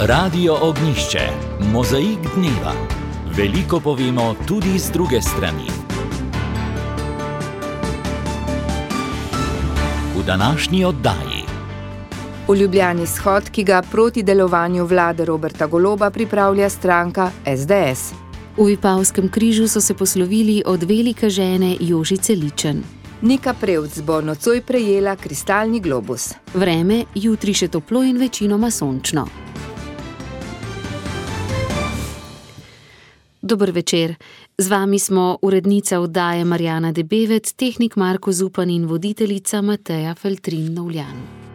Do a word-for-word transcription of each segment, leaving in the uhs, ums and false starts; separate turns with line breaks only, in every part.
Radio Ognjišče, mozaik dneva. Veliko povemo tudi z druge strani. V današnji oddaji.
V Ljubljani shod, ki ga proti delovanju vlade Roberta Goloba pripravlja stranka es de es.
V Vipavskem križu so se poslovili od velike žene Jožice Ličen.
Nika Prevc bo nocoj prejela kristalni globus.
Vreme, jutri še toplo in večinoma sončno. Dober večer. Z vami smo urednica oddaje Marjana Debevec, tehnik Marko Zupan in voditeljica Mateja Feltrin-Novljan.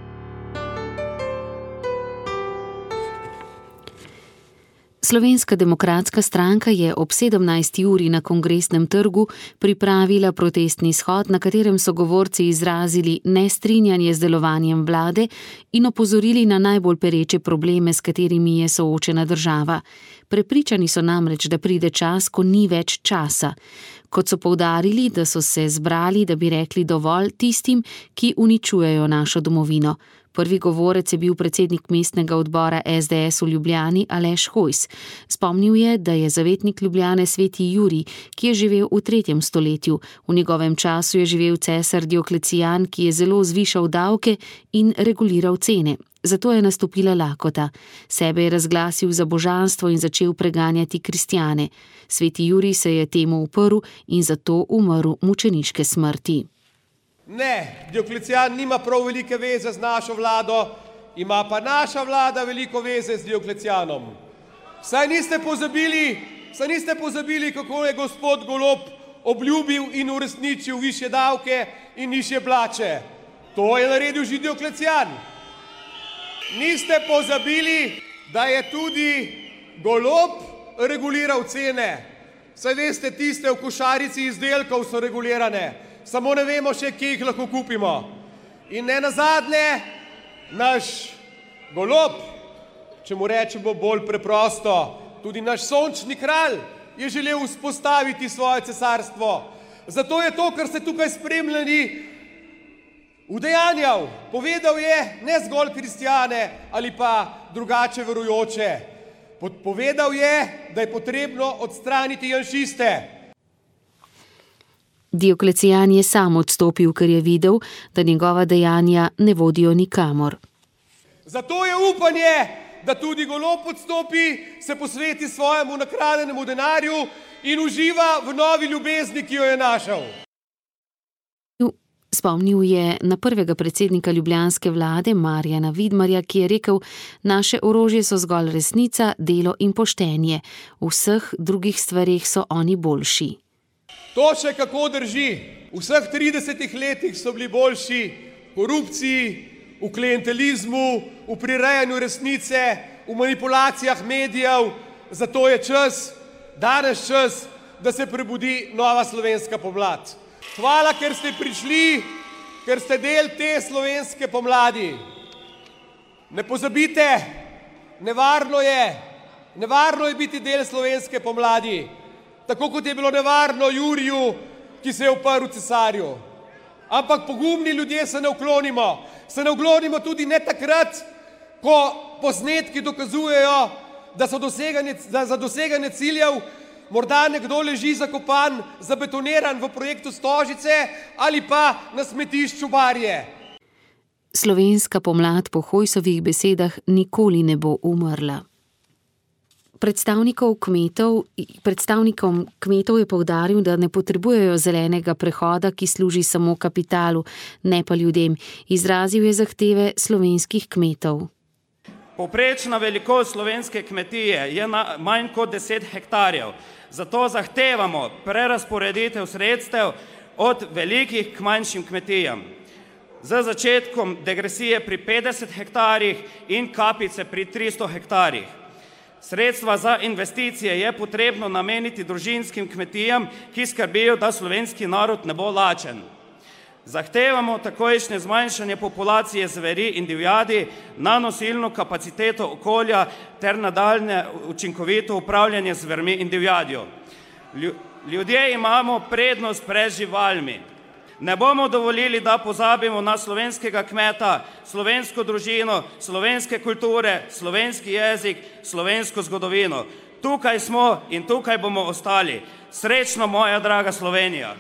Slovenska demokratska stranka je ob sedemnajsti uri na Kongresnem trgu pripravila protestni shod, na katerem so govorci izrazili nestrinjanje z delovanjem vlade in opozorili na najbolj pereče probleme, s katerimi je soočena država. Prepričani so namreč, da pride čas, ko ni več časa. Kot so poudarili, da so se zbrali, da bi rekli dovolj tistim, ki uničujejo našo domovino. Prvi govorec je bil predsednik mestnega odbora es de es v Ljubljani Aleš Hojs. Spomnil je, da je zavetnik Ljubljane sveti Jurij, ki je živel v tretjem stoletju. V njegovem času je živel cesar Dioklecijan, ki je zelo zvišal davke in reguliral cene. Zato je nastopila lakota. Sebe je razglasil za božanstvo in začel preganjati kristjane. Sveti Jurij se je temu uprl in zato umrl mučeniške smrti.
Ne, Dioklecijan nima prav velike veze z našo vlado, ima pa naša vlada veliko veze z Dioklecijanom. Saj niste pozabili, saj niste pozabili, kako je gospod Golob obljubil in uresničil višje davke in nižje plače. To je naredil že Dioklecijan. Niste pozabili, da je tudi Golob reguliral cene. Saj veste, tiste v košarici izdelkov so regulirane. Samo ne vemo še, kje jih lahko kupimo. In ne nazadnje, naš Golob, če mu rečemo bolj preprosto, tudi naš sončni kralj je želel vzpostaviti svoje cesarstvo. Zato je to, kar ste tukaj spremljali, udejanjal. Povedal je ne zgolj kristjane ali pa drugače verujoče. Povedal je, da je potrebno odstraniti janšiste.
Dioklecijan je sam odstopil, ker je videl, da njegova dejanja ne vodijo nikamor.
Zato je upanje, da tudi Golob odstopi, se posveti svojemu nakradenemu denarju in uživa v novi ljubezni, ki jo je našel.
Spomnil je na prvega predsednika ljubljanske vlade Marjana Vidmarja, ki je rekel: naše orožje so zgolj resnica, delo in poštenje. V vseh drugih stvareh so oni boljši.
To še kako drži. V vseh tridesetih letih so bili boljši v korupciji, v klientelizmu, v prirejanju resnice, v manipulacijah medijev. Zato je čas, danes čas, da se prebudi nova slovenska pomlad. Hvala, ker ste prišli, ker ste del te slovenske pomladi. Ne pozabite, nevarno je, nevarno je biti del slovenske pomladi. Tako kot je bilo nevarno Juriju, ki se je uprl cesarju. Ampak pogumni ljudje se ne uklonimo. Se ne uklonimo tudi ne takrat, ko posnetki dokazujejo, da so doseganje, da za doseganje ciljev morda nekdo leži zakopan, zabetoniran v projektu Stožice ali pa na smetišču Barje.
Slovenska pomlad po Hojsovih besedah nikoli ne bo umrla. Predstavnikov kmetov, predstavnikom kmetov je poudaril, da ne potrebujejo zelenega prehoda, ki služi samo kapitalu, ne pa ljudem. Izrazil je zahteve slovenskih kmetov.
Povprečna velikost slovenske kmetije je na manj kot deset hektarjev. Zato zahtevamo prerazporeditev sredstev od velikih k manjšim kmetijam. Z začetkom degresije pri petdeset hektarjih in kapice pri tristo hektarjih. Sredstva za investicije je potrebno nameniti družinskim kmetijam, ki skrbijo, da slovenski narod ne bo lačen. Zahtevamo takojšnje zmanjšanje populacije zveri in divjadi na nosilno kapaciteto okolja ter nadaljnje učinkovito upravljanje z zvermi in divjadjo. Ljudje imamo prednost pred živalmi. Ne bomo dovolili, da pozabimo na slovenskega kmeta, slovensko družino, slovenske kulture, slovenski jezik, slovensko zgodovino. Tukaj smo in tukaj bomo ostali. Srečno, moja draga Slovenija!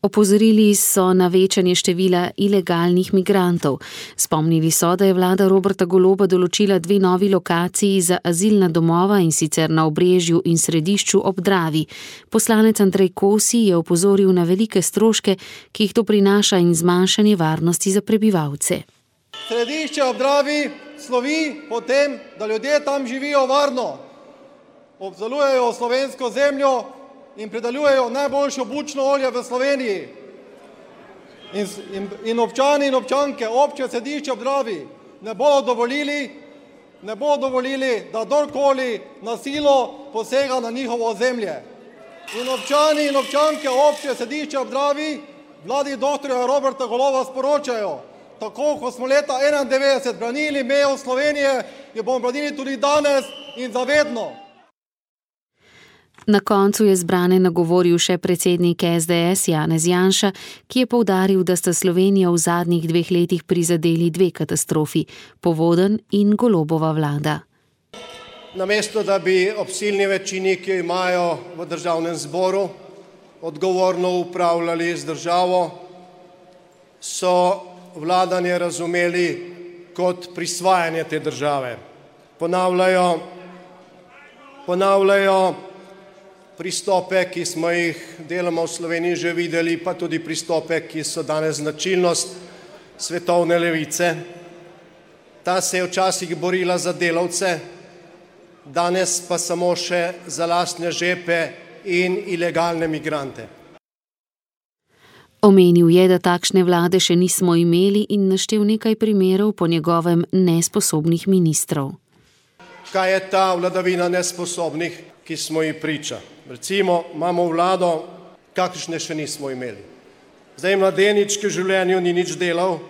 Opozorili so na večanje števila ilegalnih migrantov. Spomnili so, da je vlada Roberta Goloba določila dve novi lokaciji za azilna domova, in sicer na Obrežju in Središču ob Dravi. Poslanec Andrej Kosi je opozoril na velike stroške, ki jih to prinaša, in zmanjšanje varnosti za prebivalce.
Središče ob Dravi slovi po tem, da ljudje tam živijo varno, obdelujejo slovensko zemljo in pridelujejo najboljšo bučno olje v Sloveniji. In, in, in občani in občanke občine Središče ob Dravi ne bodo dovolili, ne bodo dovolili, da kdorkoli na silo posega na njihovo ozemlje. In občani in občanke občine Središče ob Dravi vladi doktorja Roberta Goloba sporočajo: tako kot smo leta enaindevetdeset branili mejo Slovenije, jo bomo branili tudi danes in zavedno.
Na koncu je zbrane nagovoril še predsednik es de es Janez Janša, ki je poudaril, da sta Slovenijo v zadnjih dveh letih prizadeli dve katastrofi, povodenj in Golobova vlada.
Namesto da bi ob silni večini, ki jo imajo v državnem zboru, odgovorno upravljali z državo, so vladanje razumeli kot prisvajanje te države. Ponavljajo, ponavljajo pristope, ki smo jih deloma v Sloveniji že videli, pa tudi pristope, ki so danes značilnost svetovne levice. Ta se je včasih borila za delavce, danes pa samo še za lastne žepe in ilegalne migrante.
Omenil je, da takšne vlade še nismo imeli, in naštel nekaj primerov po njegovem nesposobnih ministrov.
Kaj je ta vladavina nesposobnih, ki smo ji priča? Recimo, imamo vlado, kakšne še nismo imeli. Zdaj mladenič, ki v življenju ni nič delal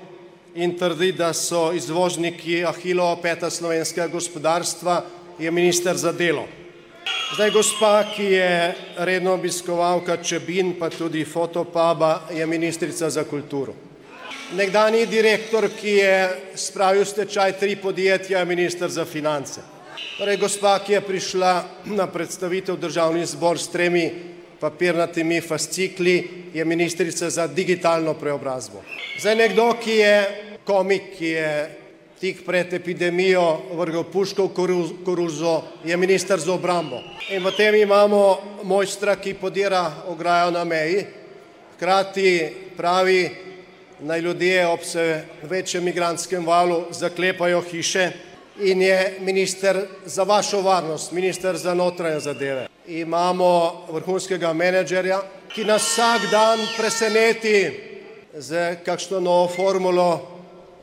in trdi, da so izvozniki Ahilova peta slovenskega gospodarstva, je minister za delo. Zdaj gospa, ki je redno obiskovalka Čebin, pa tudi Fotopuba, je ministrica za kulturo. Nekdanji direktor, ki je spravil stečaj tri podjetja, je minister za finance. Torej, gospa, ki je prišla na predstavitev državni zbor s tremi papirnatimi fascikli, je ministrica za digitalno preobrazbo. Zdaj nekdo, ki je komik, ki je tik pred epidemijo vrgel puško v koruzo, je minister za obrambo. In potem imamo mojstra, ki podira ograjo na meji, hkrati pravi, naj ljudje ob vse večjem migrantskem valu zaklepajo hiše, in je minister za vašo varnost, minister za notranje zadeve. Imamo vrhunskega menedžerja, ki nas vsak dan preseneti z kakšno novo formulo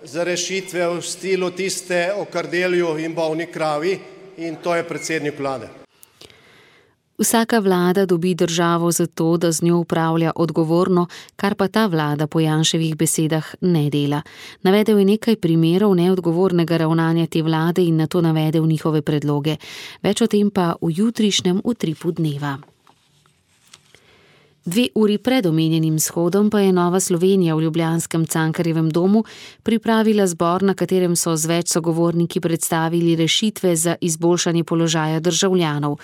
za rešitve v stilu tiste o kardelju in bolni kravi, in to je predsednik vlade.
Vsaka vlada dobi državo zato, da z njo upravlja odgovorno, kar pa ta vlada po Janševih besedah ne dela. Navedel je nekaj primerov neodgovornega ravnanja te vlade in nato navedel njihove predloge. Več o tem pa v jutrišnjem Utripu dneva. Dve uri pred omenjenim shodom pa je Nova Slovenija v ljubljanskem Cankarjevem domu pripravila zbor, na katerem so z več sogovorniki predstavili rešitve za izboljšanje položaja državljanov.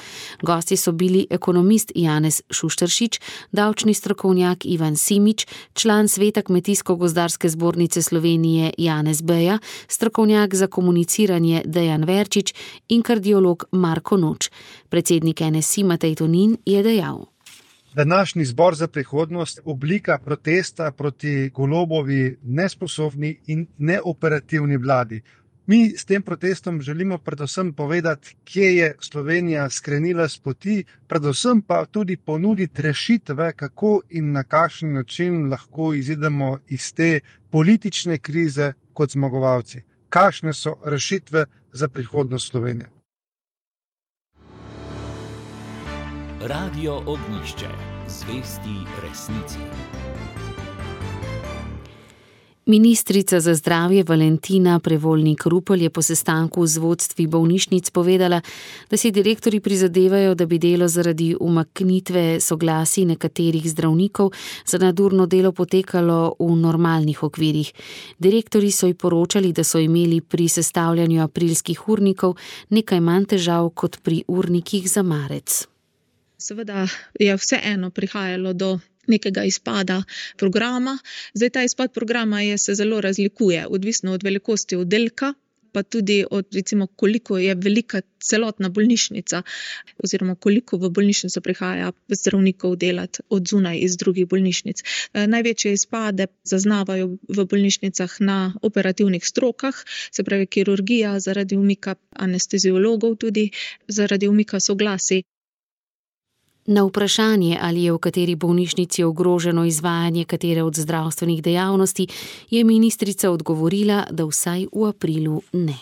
Gosti so bili ekonomist Janez Šušteršič, davčni strokovnjak Ivan Simič, član sveta Kmetijsko-gozdarske zbornice Slovenije Janez Beja, strokovnjak za komuniciranje Dejan Verčič in kardiolog Marko Noč. Predsednik en es i Matej Tonin je dejal:
Današnji zbor za prihodnost oblika protesta proti Golobovi nesposobni in neoperativni vladi. Mi s tem protestom želimo predvsem povedati, kje je Slovenija skrenila s poti, predvsem pa tudi ponuditi rešitve, kako in na kakšen način lahko izidemo iz te politične krize kot zmagovalci. Kakšne so rešitve za prihodnost Slovenije?
Radio Ognjišče, zvesti resnici.
Ministrica za zdravje Valentina Prevolnik-Rupel je po sestanku z vodstvi bolnišnic povedala, da si direktorji prizadevajo, da bi delo zaradi umaknitve soglasij nekaterih zdravnikov za nadurno delo potekalo v normalnih okvirih. Direktorji so ji poročali, da so imeli pri sestavljanju aprilskih urnikov nekaj manj težav kot pri urnikih za marec.
Seveda je vseeno prihajalo do nekega izpada programa. Zdaj ta izpad programa je, se zelo razlikuje, odvisno od velikosti oddelka, pa tudi od, recimo, koliko je velika celotna bolnišnica, oziroma koliko v bolnišnico prihaja zdravnikov delati od zunaj iz drugih bolnišnic. Največje izpade zaznavajo v bolnišnicah na operativnih strokah, se pravi kirurgija, zaradi umika anesteziologov, tudi zaradi umika soglasij.
Na vprašanje, ali je v kateri bolnišnici ogroženo izvajanje katere od zdravstvenih dejavnosti, je ministrica odgovorila, da vsaj v aprilu ne.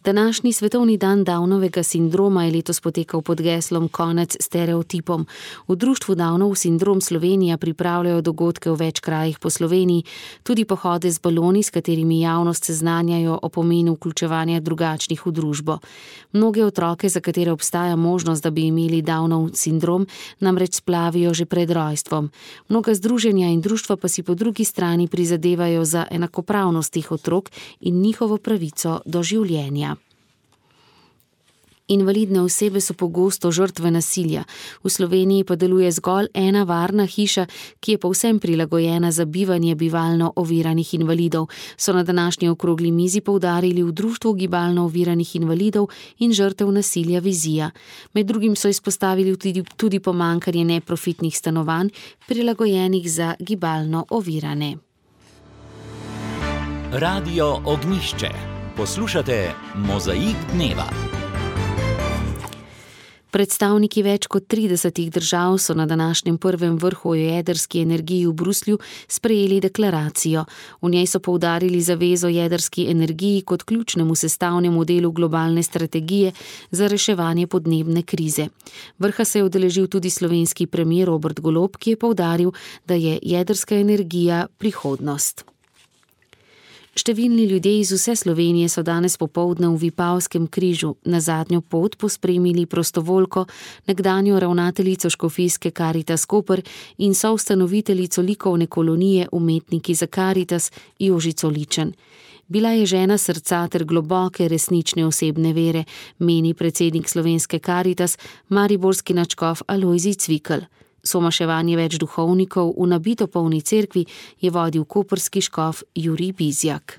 Današnji svetovni dan Downovega sindroma je letos potekal pod geslom Konec stereotipom. V društvu Downov sindrom Slovenija pripravljajo dogodke v več krajih po Sloveniji, tudi pohode z baloni, s katerimi javnost seznanjajo o pomenu vključevanja drugačnih v družbo. Mnoge otroke, za katere obstaja možnost, da bi imeli Downov sindrom, namreč splavijo že pred rojstvom. Mnoga združenja in društva pa si po drugi strani prizadevajo za enakopravnost teh otrok in njihovo pravico do življenja. Invalidne osebe so pogosto žrtve nasilja. V Sloveniji pa deluje zgolj ena varna hiša, ki je povsem prilagojena za bivanje bivalno oviranih invalidov, so na današnji okrogli mizi poudarili v društvu gibalno oviranih invalidov in žrtev nasilja Vizija. Med drugim so izpostavili tudi, tudi pomanjkanje neprofitnih stanovanj, prilagojenih za gibalno ovirane.
Radio Ognjišče. Poslušate Mozaik dneva.
Predstavniki več kot tridesetih držav so na današnjem prvem vrhu o jedrski energiji v Bruslju sprejeli deklaracijo. V njej so poudarili zavezo jedrski energiji kot ključnemu sestavnemu delu globalne strategije za reševanje podnebne krize. Vrha se je udeležil tudi slovenski premier Robert Golob, ki je poudaril, da je jedrska energija prihodnost. Številni ljudje iz vse Slovenije so danes popoldne v Vipavskem križu na zadnjo pot pospremili prostovoljko, nekdanjo ravnateljico škofijske Karitas Koper in soustanoviteljico likovne kolonije Umetniki za Karitas Jožico Ličen. Bila je žena srca ter globoke resnične osebne vere, meni predsednik slovenske Karitas, mariborski nadškof Alojzij Cvikl. Somaševanje več duhovnikov v nabito polni cerkvi je vodil koprski škof Jurij Bizjak.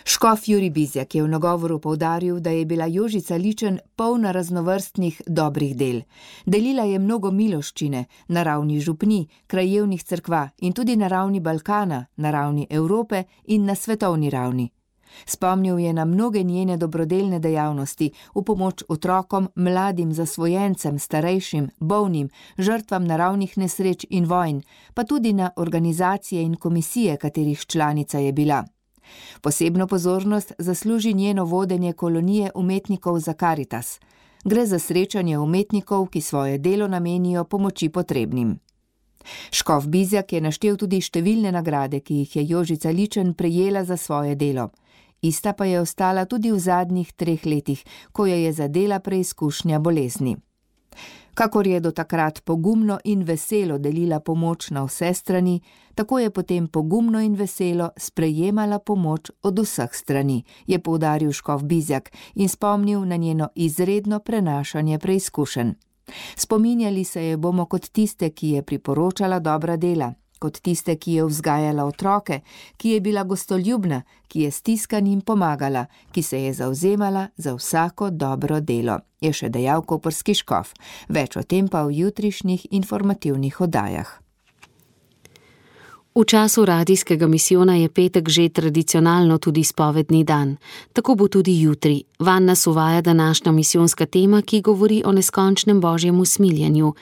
Škof Jurij Bizjak je v nagovoru poudaril, da je bila Jožica Ličen polna raznovrstnih dobrih del. Delila je mnogo miloščine na ravni župnij, krajevnih cerkva in tudi na ravni Balkana, na ravni Evrope in na svetovni ravni. Spomnil je na mnoge njene dobrodelne dejavnosti v pomoč otrokom, mladim zasvojencem, starejšim, bolnim, žrtvam naravnih nesreč in vojn, pa tudi na organizacije in komisije, katerih članica je bila. Posebno pozornost zasluži njeno vodenje kolonije umetnikov za Karitas. Gre za srečanje umetnikov, ki svoje delo namenijo pomoči potrebnim. Škof Bizjak je naštel tudi številne nagrade, ki jih je Jožica Ličen prejela za svoje delo. Ista pa je ostala tudi v zadnjih treh letih, ko jo je zadela preizkušnja bolezni. Kakor je do takrat pogumno in veselo delila pomoč na vse strani, tako je potem pogumno in veselo sprejemala pomoč od vseh strani, je poudaril škof Bizjak in spomnil na njeno izredno prenašanje preizkušenj. Spominjali se je bomo kot tiste, ki je priporočala dobra dela, kot tiste, ki je vzgajala otroke, ki je bila gostoljubna, ki je stiskanim pomagala, ki se je zavzemala za vsako dobro delo, je še dejal koprski škof. Več o tem pa v jutrišnjih informativnih oddajah.
V času radijskega misijona je petek že tradicionalno tudi spovedni dan. Tako bo tudi jutri. Vanj nas uvaja današnja misijonska tema, ki govori o neskončnem božjem usmiljenju.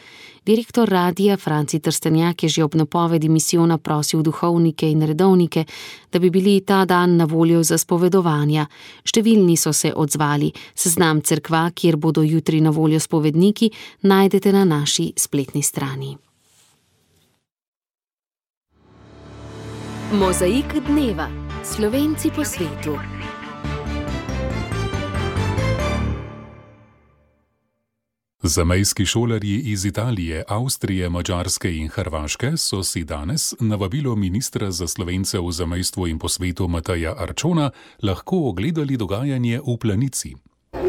Direktor radija Franci Trstenjak je že ob napovedi misijona prosil duhovnike in redovnike, da bi bili ta dan na voljo za spovedovanja. Številni so se odzvali. Seznam cerkva, kjer bodo jutri na voljo spovedniki, najdete na naši spletni strani. Mozaik dneva. Slovenci po svetu.
Zamejski šolarji iz Italije, Avstrije, Madžarske in Hrvaške so si danes na vabilo ministra za Slovence v zamejstvu in po svetu Mateja Arčona lahko ogledali dogajanje v Planici.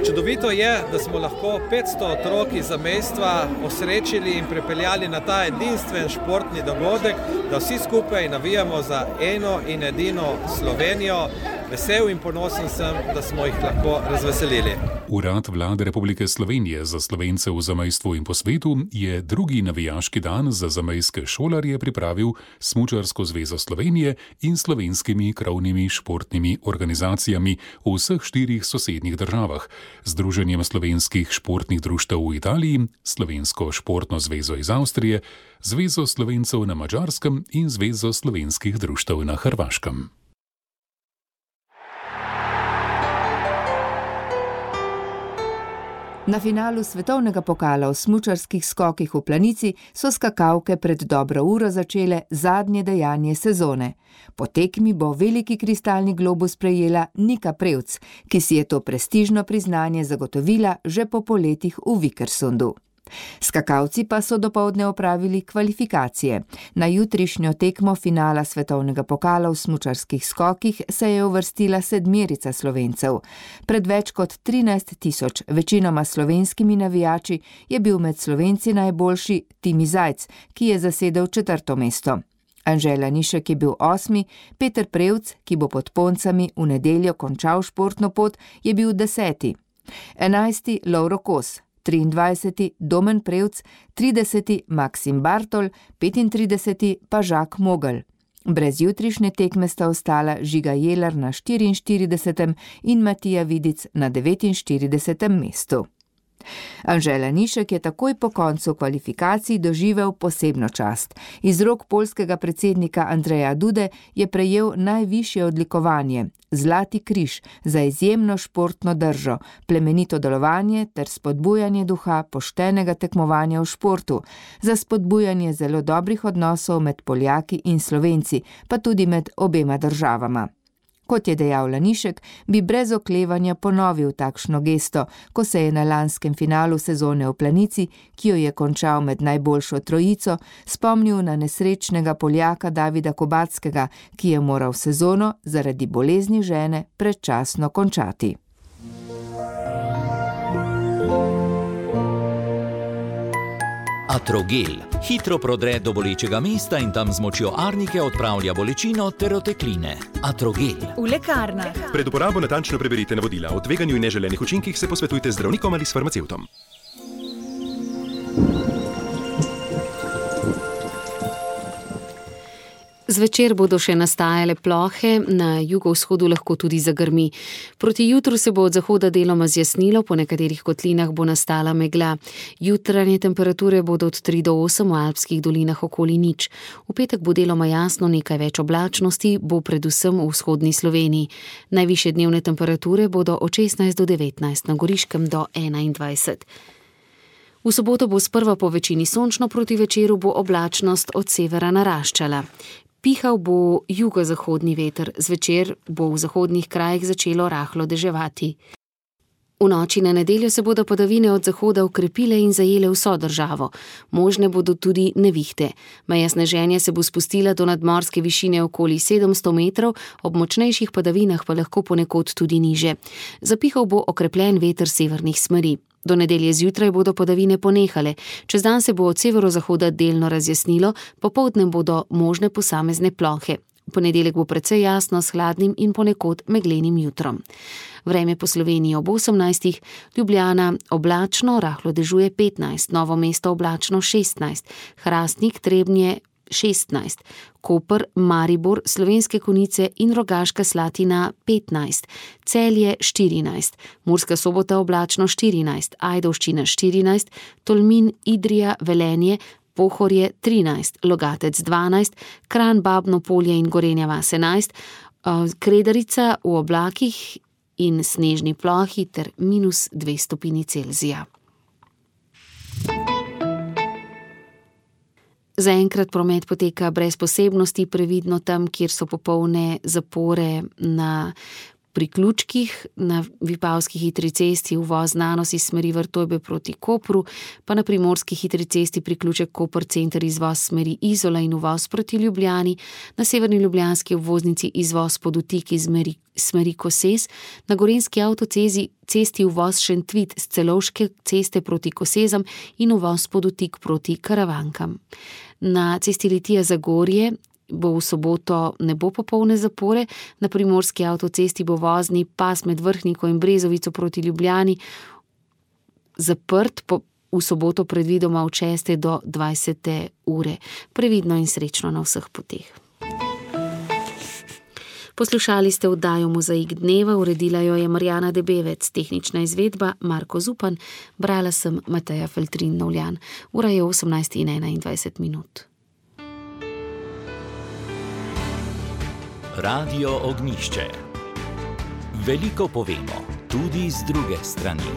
Čudovito je, da smo lahko petsto otrok iz zamejstva osrečili in pripeljali na ta edinstven športni dogodek, da vsi skupaj navijamo za eno in edino Slovenijo. Vesel in ponosen sem, da smo jih lahko razveselili.
Urad Vlade Republike Slovenije za Slovence v zamejstvu in po svetu je drugi navijaški dan za zamejske šolarje pripravil Smučarsko zvezo Slovenije in slovenskimi krovnimi športnimi organizacijami v vseh štirih sosednjih državah, Združenjem slovenskih športnih društev v Italiji, Slovensko športno zvezo iz Avstrije, Zvezo Slovencev na Madžarskem in Zvezo slovenskih društev na Hrvaškem.
Na finalu svetovnega pokala v smučarskih skokih v Planici so skakalke pred dobro uro začele zadnje dejanje sezone. Po tekmi bo veliki kristalni globus prejela Nika Prevc, ki si je to prestižno priznanje zagotovila že po poletih v Vikersundu. Skakalci pa so dopoldne opravili kvalifikacije. Na jutrišnjo tekmo finala svetovnega pokala v smučarskih skokih se je uvrstila sedmerica Slovencev. Pred več kot trinajst tisoč večinoma slovenskimi navijači je bil med Slovenci najboljši Timi Zajc, ki je zasedel četrto mesto. Anže Lanišek je bil osmi, Peter Prevc, ki bo pod Poncami v nedeljo končal športno pot, je bil deseti. enajsti Lovro Kos, triindvajseti Domen Prevc, trideseti Maksim Bartol, petintrideseti pa Žak Mogel. Brez jutrišnje tekme sta ostala Žiga Jelar na štiriinštiridesetem in Matija Vidic na devetinštiridesetem mestu. Anže Lanišek je takoj po koncu kvalifikacij doživel posebno čast. Iz rok poljskega predsednika Andreja Dude je prejel najvišje odlikovanje, Zlati križ, za izjemno športno držo, plemenito delovanje ter spodbujanje duha poštenega tekmovanja v športu, za spodbujanje zelo dobrih odnosov med Poljaki in Slovenci, pa tudi med obema državama. Kot je dejal Lanišek, bi brez oklevanja ponovil takšno gesto, ko se je na lanskem finalu sezone v Planici, ki jo je končal med najboljšo trojico, spomnil na nesrečnega Poljaka Davida Kobackega, ki je moral sezono zaradi bolezni žene predčasno končati.
Atrogel hitro prodre do bolečega mesta in tam z močjo arnike odpravlja bolečino ter otekline. Atrogel.
V lekarnah.
Pred uporabo natančno preberite navodila. O tveganju in neželenih učinkih se posvetujte z zdravnikom ali s farmacevtom.
Zvečer bodo še nastajale plohe, na jugovzhodu lahko tudi zagrmi. Proti jutru se bo od zahoda deloma zjasnilo, po nekaterih kotlinah bo nastala megla. Jutranje temperature bodo od tri do osem, v alpskih dolinah okoli nič. V petek bo deloma jasno, nekaj več oblačnosti bo predvsem v vzhodni Sloveniji. Najvišje dnevne temperature bodo od šestnajst do devetnajst, na Goriškem do enaindvajset. V soboto bo sprva po večini sončno, proti večeru bo oblačnost od severa naraščala. Pihal bo jugozahodni veter, zvečer bo v zahodnih krajih začelo rahlo deževati. V noči na nedeljo se bodo padavine od zahoda ukrepile in zajele vso državo. Možne bodo tudi nevihte. Meja sneženja se bo spustila do nadmorske višine okoli sedemsto metrov, ob močnejših padavinah pa lahko ponekod tudi niže. Zapihal bo okrepljen veter severnih smeri. Do nedelje zjutraj bodo padavine ponehale, čez dan se bo od severozahoda delno razjasnilo, popoldne bodo možne posamezne plohe. V ponedeljek bo precej jasno s hladnim in ponekod meglenim jutrom. Vreme po Sloveniji ob osemnajstih, Ljubljana oblačno, rahlo dežuje petnajst, Novo mesto oblačno šestnajst, Hrastnik, Trebnje šestnajst, Koper, Maribor, Slovenske Konjice in Rogaška Slatina petnajst, Celje štirinajst, Murska Sobota oblačno štirinajst, Ajdovščina štirinajst, Tolmin, Idrija, Velenje, Pohorje trinajst, Logatec dvanajst, Kranj, Babno Polje in Gorenja vas enajst, Kredarica v oblakih in snežni plohi ter minus dve stopinji Celzija. Zaenkrat promet poteka brez posebnosti, previdno tam, kjer so popolne zapore na priključkih, na vipavski hitri cesti uvoz Nanos iz smeri Vrtojbe proti Kopru, pa na primorski hitri cesti priključek Koper center izvoz smeri Izola in uvoz proti Ljubljani, na severni ljubljanski obvoznici izvoz Podutik iz smeri, smeri Koses, na gorenjski avtocezi cesti uvoz Šentvit z Celovške ceste proti Kosezam in uvoz Podutik proti Karavankam. Na cesti Litija Zagorje bo v soboto ne bo popolne zapore, na primorski avtocesti bo vozni pas med Vrhniko in Brezovico proti Ljubljani zaprt po, v soboto predvidoma od šeste do dvajsete ure. Previdno in srečno na vseh poteh. Poslušali ste oddajo Mozaik dneva, uredila jo je Marjana Debevec, tehnična izvedba Marko Zupan, brala sem Mateja Feltrin-Novljan. Ura je osemnajst in enaindvajset minut.
Radio Ognjišče. Veliko povemo, tudi z druge strani.